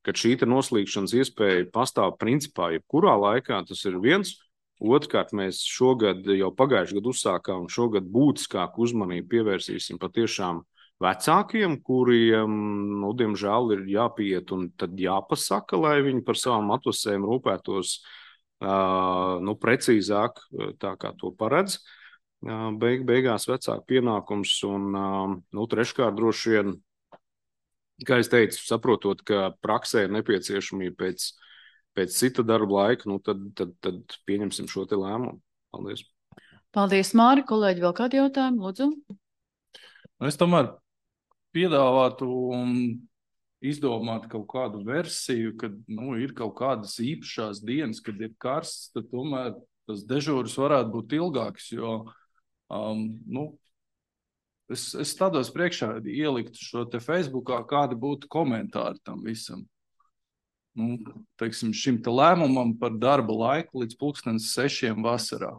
[SPEAKER 9] ka šī noslīgšanas iespēja pastāv principā jebkurā laikā, tas ir viens. Otrkārt, mēs šogad, jau pagājušajā gadu uzsākām, un šogad būtiskāku uzmanību pievērsīsim patiešām vecākiem, kuriem, nu, diemžēl, ir jāpiet un tad jāpasaka, lai viņi par savām atvasēm rūpētos precīzāk, tā kā to paredz. Beigās vecāku pienākums un, treškārt droši vien, kā es teicu, saprotot, ka praksē ir nepieciešamība pēc cita darba laika, tad pieņemsim šo te lēmumu. Paldies.
[SPEAKER 1] Paldies, Māri. Kolēģi, vēl kādi jautājumi? Lūdzu.
[SPEAKER 7] Es tomēr piedāvātu un izdomāt kaut kādu versiju, kad ir kaut kādas īpašās dienas, kad ir karsts, tad tomēr tas dežūras varētu būt ilgāks, jo es tādos priekšā ieliktu šo te Facebookā, kādi būtu komentāri tam visam. Teiksim, šim te lēmumam par darba laiku līdz 6:00 vasarā.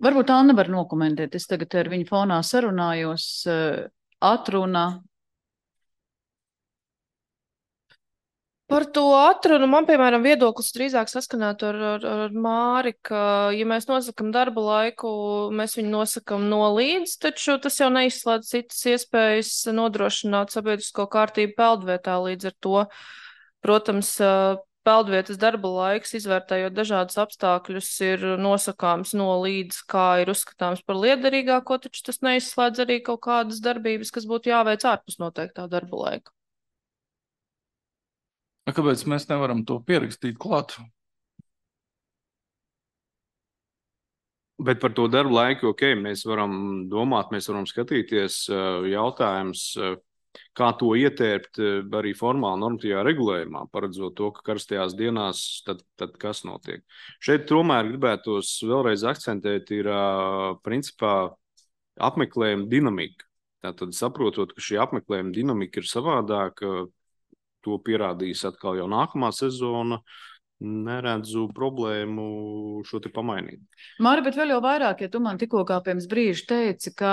[SPEAKER 1] Varbūt Anna var nokomentēt. Es tagad ar viņu fonā sarunājos. Atruna.
[SPEAKER 2] Par to atrunu man, piemēram, viedoklis drīzāk saskanētu ar Māri, ka, ja mēs nosakam darba laiku, mēs viņu nosakam no līdz, taču tas jau neizslēdz citas iespējas nodrošināt sabiedrisko kārtību peldvietā. Līdz ar to, protams, peldvietas darba laiks, izvērtējot dažādus apstākļus, ir nosakāms no līdz, kā ir uzskatāms par liederīgāko, taču tas neizslēdz arī kaut kādas darbības, kas būtu jāveic ārpus noteiktā darba laika.
[SPEAKER 7] Kāpēc mēs nevaram to pierakstīt klāt?
[SPEAKER 9] Bet par to darbu laiku, mēs varam domāt, mēs varam skatīties jautājums, kā to ietērpt arī formāli normatīvā regulējumā, paredzot to, ka karstajās dienās tad kas notiek. Šeit tomēr gribētos vēlreiz akcentēt ir principā apmeklējuma dinamika. Tātad saprotot, ka šī apmeklējuma dinamika ir savādāka, to pierādīs atkal jau nākamā sezona, neredzu problēmu šo te pamainīt.
[SPEAKER 1] Māri, bet vēl jau vairāk, ja tu man tikko kā pirms brīža teici, ka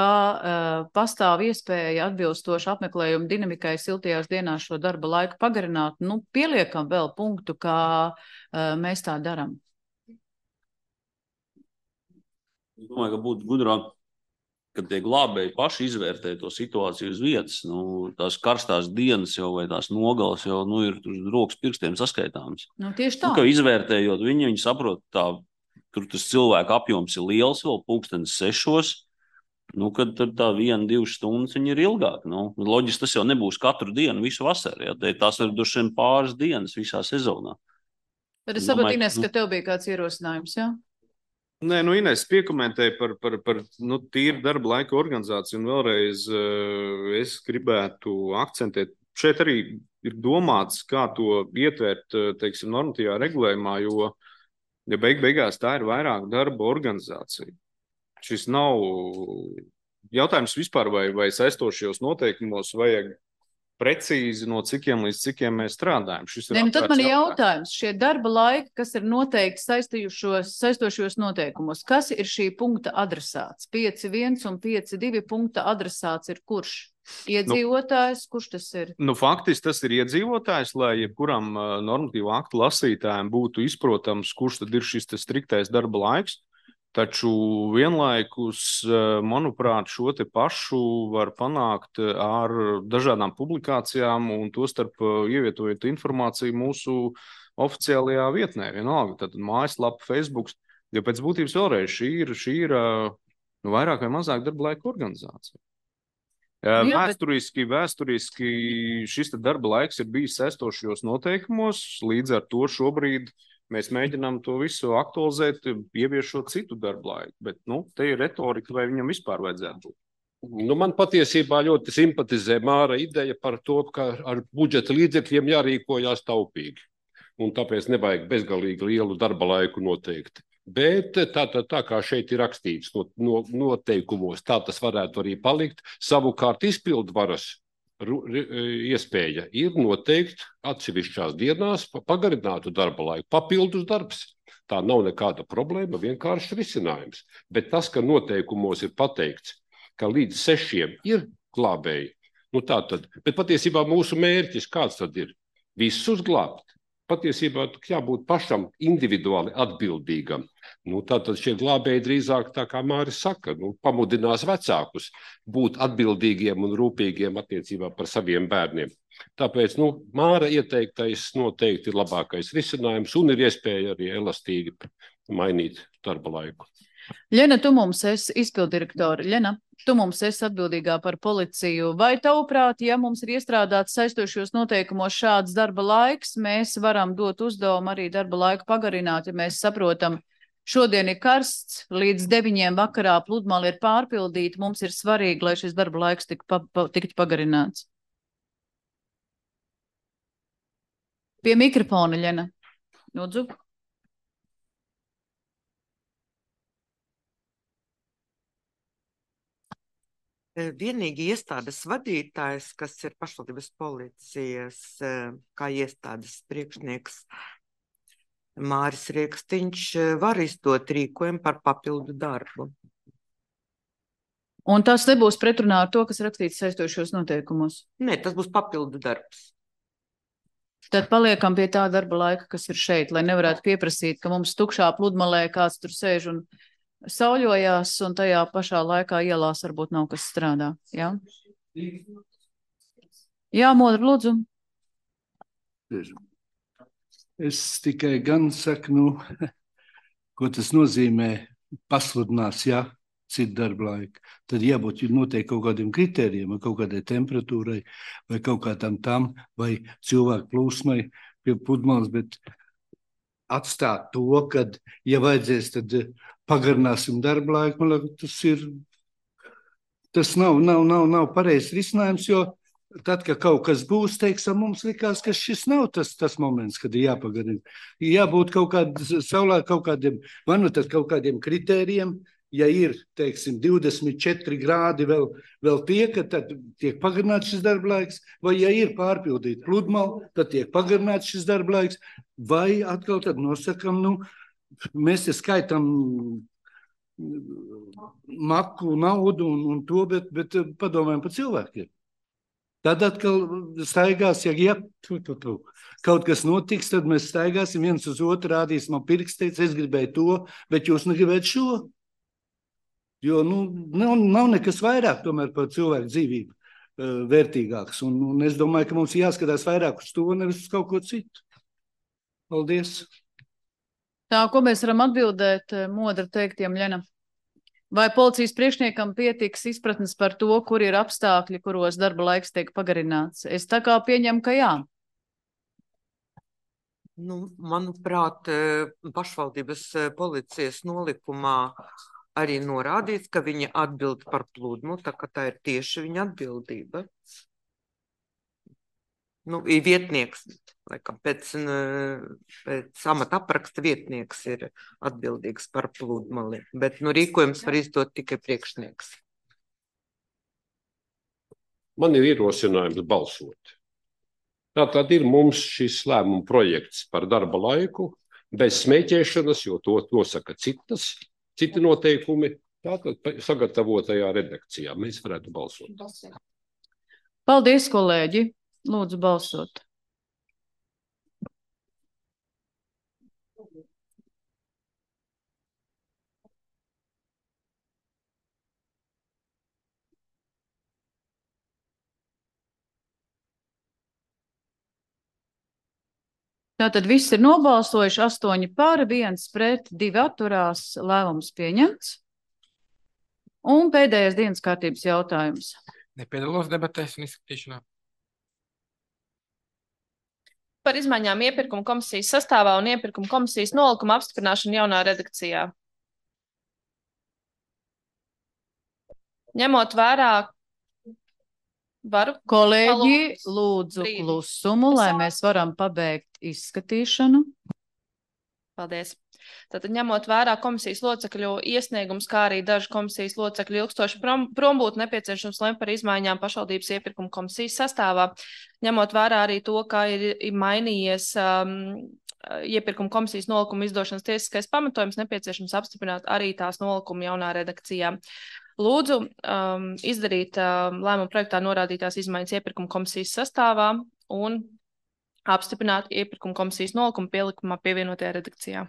[SPEAKER 1] pastāv iespēja atbilstoši apmeklējumu dinamikai siltajās dienās šo darba laiku pagarināt, pieliekam vēl punktu, kā mēs tā daram.
[SPEAKER 4] Es domāju, ka būtu gudrāk, kad tie glābēji paši izvērtē to situāciju uz vietas. Tās karstās dienas jau vai tās nogales jau ir rokas pirkstiem saskaitāmas.
[SPEAKER 1] Tieši tā.
[SPEAKER 4] Ka izvērtējot viņi saprot, tur tas cilvēku apjoms ir liels vēl 6:00, kad tad tā 1-2 stundas viņi ir ilgāk. Loģiski tas jau nebūs katru dienu, visu vasaru. Ja? Tās ir droši vien pāris dienas visā sezonā.
[SPEAKER 1] Tad es saprotu, Ines, ka tev bija kāds ierosinājums, jā?
[SPEAKER 9] Nē, Ines piekomentēja par tīru darba laika organizāciju, un vēlreiz es gribētu akcentēt. Šeit arī ir domāts, kā to ietvērt, teiksim, normatīvā regulējumā, jo beigās tā ir vairāk darba organizācija. Šis nav jautājums vispār, vai saistošajos noteikumos vajag precīzi no cikiem līdz cikiem mēs strādājam.
[SPEAKER 1] Tad man ir jautājums. Šie darba laiki, kas ir noteikti saistošajos noteikumos, kas ir šī punkta adresāts? 5.1 un 5.2 punkta adresāts ir kurš? Iedzīvotājs, kurš tas ir?
[SPEAKER 9] Faktiski tas ir iedzīvotājs, lai jebkuram normatīvu aktu lasītājiem būtu izprotams, kurš tad ir šis striktais darba laiks. Taču vienlaikus, manuprāt, šo te pašu var panākt ar dažādām publikācijām un tostarp ievietojot informāciju mūsu oficiālajā vietnē. Vienalga, tad mājaslapa, Facebook, jo pēc būtības vēlreiz šī ir vairāk vai mazāk darba laika organizācija. Vēsturiski šis darba laiks ir bijis saistošajos noteikumos, līdz ar to šobrīd mēs mēģinām to visu aktualizēt, ieviešot citu darba laiku, bet te ir retorika, vai viņam vispār vajadzētu būt.
[SPEAKER 11] Man patiesībā ļoti simpatizē Māra ideja par to, ka ar budžeta līdzekļiem jārīkojās taupīgi, un tāpēc nevajag bezgalīgi lielu darba laiku noteikti. Bet tā kā šeit ir rakstīts noteikumos, tā tas varētu arī palikt. Savukārt izpildvaras iespēja ir noteikt atsevišķās dienās pagarinātu darba laiku, papildus darbs. Tā nav nekāda problēma, vienkārši risinājums. Bet tas, ka noteikumos ir pateikts, ka līdz 6 ir glābēji, tātad, bet patiesībā mūsu mērķis kāds tad ir? Visus glābt. Patiesībā jābūt pašam individuāli atbildīgam. Tātad šie glābēji drīzāk, tā kā Māris saka, pamudinās vecākus būt atbildīgiem un rūpīgiem attiecībā par saviem bērniem. Tāpēc Māra ieteiktais noteikti ir labākais risinājums un ir iespēja arī elastīgi mainīt darba laiku.
[SPEAKER 1] Ļena, tu mums esi izpildirektori. Ļena, tu mums esi atbildīgā par policiju. Vai tavuprāt, ja mums ir iestrādāts saistošos noteikumos šāds darba laiks, mēs varam dot uzdevumu arī darba laiku pagarināt, ja mēs saprotam, šodien ir karsts, līdz 9 vakarā pludmale ir pārpildīta, mums ir svarīgi, lai šis darba laiks tiktu pagarināts. Pie mikrofona, Ļena. Lūdzu.
[SPEAKER 12] Vienīgi iestādes vadītājs, kas ir pašvaldības policijas kā iestādes priekšnieks Māris Riekstiņš, var izdot rīkojumu par papildu darbu.
[SPEAKER 1] Un tas nebūs pretrunā ar to, kas rakstīts saistošos noteikumos?
[SPEAKER 12] Nē, tas būs papildu darbs.
[SPEAKER 1] Tad paliekam pie tā darba laika, kas ir šeit, lai nevarētu pieprasīt, ka mums tukšā pludmalē kāds tur sēž un sauļojās, un tajā pašā laikā ielās varbūt nav kas strādā. Jā, jā, Modra, lūdzu.
[SPEAKER 5] Es tikai gan saku, ko tas nozīmē pasludinās, ja citu darba laiku. Tad jābūt noteikti kaut kādiem kritērijiem, vai kaut kādai temperatūrai, vai kaut kādam tam, vai cilvēku plūsmai pie pludmales, bet atstāt to, kad, ja vajadzēs, tad pagarināsim darba laiku. Man liekas, tas nav pareizs risinājums, jo tad, kad kaut kas būs, teiksim, mums likās, ka šis nav tas moments, kad ir jāpagarina. Jābūt kaut kādiem, vai nu tad kaut kādiem kritērijiem, ja ir, teiksim, 24 grādi vēl tiek, tad tiek pagarināts šis darba laiks, vai ja ir pārpildīta pludmale, tad tiek pagarināts šis darba laiks, vai atkal tad nosakam, mēs te skaitam maku, naudu un to, bet padomājam par cilvēkiem. Tad atkal staigās, ja kaut kas notiks, tad mēs staigāsim viens uz otru, rādīsim man pirksteic, es gribēju to, bet jūs negribētu šo. Jo nav nekas vairāk tomēr par cilvēku dzīvību vērtīgāks. Un es domāju, ka mums jāskatās vairāk uz to, nevis uz kaut ko citu. Paldies.
[SPEAKER 1] Tā, ko mēs varam atbildēt Modra teiktiem, Ļena? Vai policijas priekšniekam pietiks izpratnes par to, kur ir apstākļi, kuros darba laiks tiek pagarināts? Es tā kā pieņemu, ka jā.
[SPEAKER 12] Manuprāt, pašvaldības policijas nolikumā arī norādīts, ka viņa atbild par pludmu, tā ka tā ir tieši viņa atbildība. Ir vietnieks, laikam, pēc amata apraksta vietnieks ir atbildīgs par pludmali, bet rīkojums var izdot tikai priekšnieks.
[SPEAKER 11] Man ir ierosinājums balsot. Tātad ir mums šis lēmuma projekts par darba laiku, bez smēķēšanas, jo to nosaka citi noteikumi, tātad sagatavotajā redakcijā mēs varētu balsot.
[SPEAKER 1] Paldies, kolēģi! Lūdzu balsot. Tātad viss ir nobalsojuši, 8 par, 1 pret, 2 atturās, lēmums pieņemts. Un pēdējais dienas kārtības jautājums.
[SPEAKER 13] Nepiedalos debatēs un izskatīšanā.
[SPEAKER 2] Par izmaiņām iepirkuma komisijas sastāvā un iepirkuma komisijas nolikuma apstiprināšanu jaunā redakcijā. Ņemot vērā, varu?
[SPEAKER 1] Kolēģi, lūdzu klusumu, lai mēs varam pabeigt izskatīšanu.
[SPEAKER 2] Paldies. Tātad ņemot vērā komisijas locekļu iesniegums, kā arī dažu komisijas locekļu ilgstoši prombūtu nepieciešams lemt par izmaiņām pašvaldības iepirkuma komisijas sastāvā. Ņemot vērā arī to, kā ir mainījies iepirkuma komisijas nolikuma izdošanas tiesiskais pamatojums, nepieciešams apstiprināt arī tās nolikuma jaunā redakcijā. Lūdzu izdarīt lēmuma projektā norādītās izmaiņas iepirkuma komisijas sastāvā un apstiprināt iepirkuma komisijas nolikumu pielikumā pievienotajā redakcijā.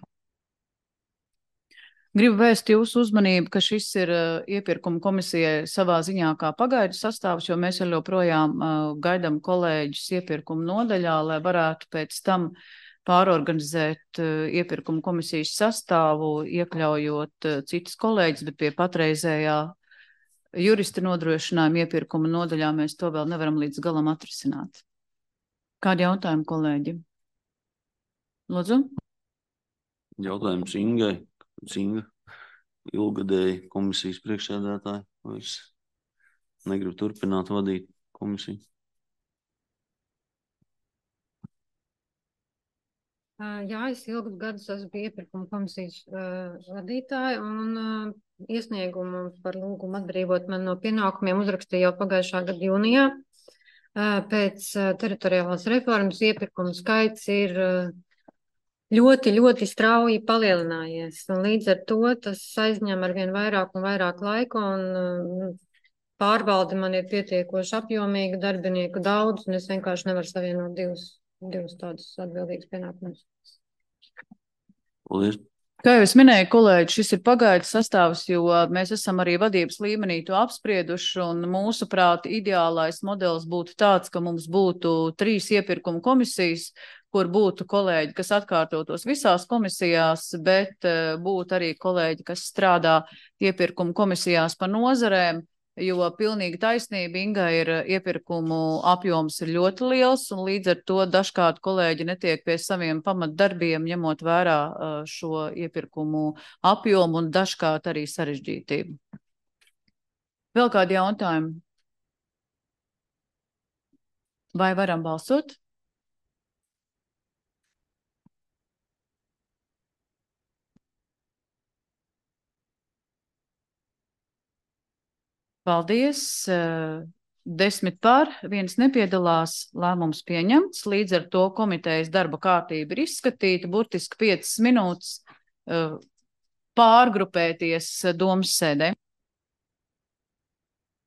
[SPEAKER 1] Gribu vēst jūsu uzmanību, ka šis ir iepirkuma komisijai savā ziņā kā pagaidu sastāvs, jo mēs joprojām gaidām kolēģus iepirkuma nodaļā, lai varētu pēc tam pārorganizēt iepirkuma komisijas sastāvu, iekļaujot citus kolēģus, bet pie patreizējā jurista nodrošinājuma iepirkuma nodaļā mēs to vēl nevaram līdz galam atrisināt. Kādi jautājumi, kolēģi? Lūdzu?
[SPEAKER 4] Jautājums Ingai. Inga, ilgadēji komisijas priekšsēdētāji, vairs negribu turpināt vadīt komisiju.
[SPEAKER 3] Jā, es ilgus gadus esmu iepirkuma komisijas vadītāja un iesniegumu par lūgumu atbrīvot man no pienākumiem uzrakstīju jau pagājušā gada jūnijā. Pēc teritoriālās reformas iepirkuma skaits ir ļoti strauji palielinājies, un līdz ar to tas aizņem arvien vairāk un vairāk laika, un pārvalde man ir pietiekoši apjomīga, darbinieku daudz, un es vienkārši nevaru savienot divus tādus atbildīgus pienākumus.
[SPEAKER 4] Paldies.
[SPEAKER 1] Kā jau es minēju, kolēģi, šis ir pagaidu sastāvs, jo mēs esam arī vadības līmenī to apsprieduši, un mūsuprāt ideālais modelis būtu tāds, ka mums būtu 3 iepirkuma komisijas, kur būtu kolēģi, kas atkārtotos visās komisijās, bet būtu arī kolēģi, kas strādā iepirkumu komisijās pa nozarēm, jo pilnīgi taisnība Inga ir iepirkumu apjoms ir ļoti liels, un līdz ar to dažkārt kolēģi netiek pie saviem pamatdarbiem, ņemot vērā šo iepirkumu apjomu un dažkārt arī sarežģītību. Vēl kādi jautājumi? Vai varam balsot? Paldies. 10 par, 1 nepiedalās, lēmums pieņemts. Līdz ar to komitejas darba kārtība ir izskatīta, burtiski 5 minūtes pārgrupēties domas sēdē.